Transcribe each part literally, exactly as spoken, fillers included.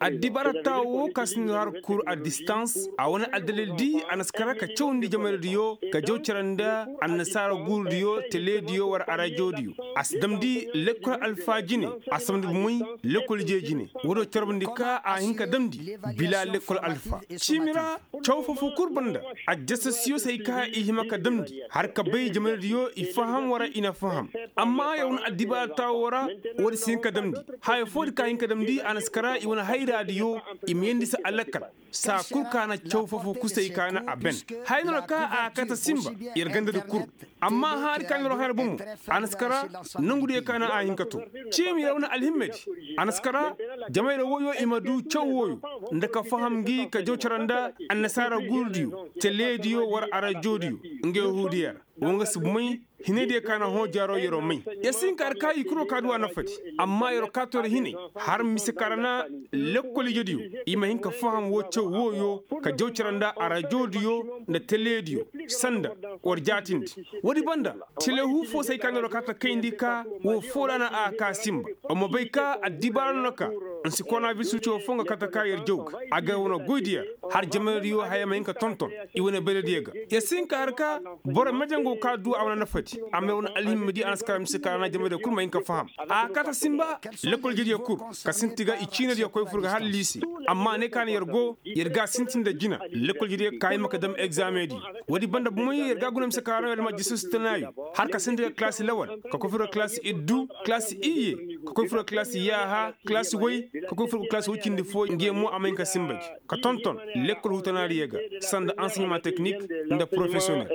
Addibaara taawo wo ka si nda har kur a distans a wane addalil di a na si kara ka cawandi jamayra diyo ka jaw cara nda annasaara guuru diyo tele diyo war arajo diyo. A si damndi lekkol alfa jine. A si damndi bumey lekkol ije jine. Woodiyo carbandi ka a hin ka damndi bila lekkol alfa ciimi ra. Caw foo-foo kul banda. Ajjasasiyo se hay ka i hima ka damndi har ka bay jamayra diyo i faham wara i na faham. Amma yer wane addibaara taawo ra. Woodi si hin ka damndi haya foodi ka hin ka damndi a na si kara i wane hayra diyo. I ma yeendi se alakkal saa kul ka na caw foo-foo kusay ka na a ben. Haya no ra ka a kate sinba yer gandadi kul. Amma haari ka no ra haya ra bomo a na si kara nongudiyo ka na a hin ka to. Ciimi ra wane alhimmedi a na si kara jamayra wooyo i ma du caw wooyo nda ka faham ngi ka jaw cara nda annasaara guurudiyo teleediyo war arajodiyo. Nga yahuudiya ra. Wo nga si may hinaydiyo ka na hõ jaaro yer'o may. Yer si hin ka har ka i kul wo ka du a nafadi. Amma yer'o ka to ra hinay har mise ka ra na lekkol ijediyo i ma hin ka faham woo caw wooyo ka jaw cara nda arajodiyo nda teleediyo sanda war jaatindi. Woodi banda telehu foo se ay ka no ra ka ta kayndi ka woo foo ra na a ka sinba. Wa ma bay ka addibaara no ra ka nsi koronabiris ciyo foo nga kate ka yer jaw ga a ga wane goy da yer har jamaydiyo haya ma hin ka tonton. I wane bayradiyo ga yer si hin ka har ka boro mejengo ka du a wane nafadi. Amma yer wane alhimmadi a na si kara mise ka ra na jamaydiyo kul ma hin ka faham. A kate sinba lekkol jediyo kul ka sinti ga i ciinadiyo koy fur ga har liise. Amma ne ka na yer go yer ga a sintin nda jina lekkol jediyo ka hima ka dam egzameŋ di. Woodi banda bumey yer ga a guna mise ka ra no yer ma jisir si tanaayo har ka sinti ga kalaasi lawal ka koy fur ga kalaasi iddu kalaasi iyye ka koy fur ga kalaasi yaaha kalaasi way ka koy fur ga kalaasi woy cindi foo ngi yaŋ mo a ma hin ka sinba gi ka tonton lekkol hutanaadiyo ga sanda anseɲema teknik nda porofesiyonel.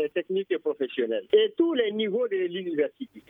Et tous les niveaux de l'université.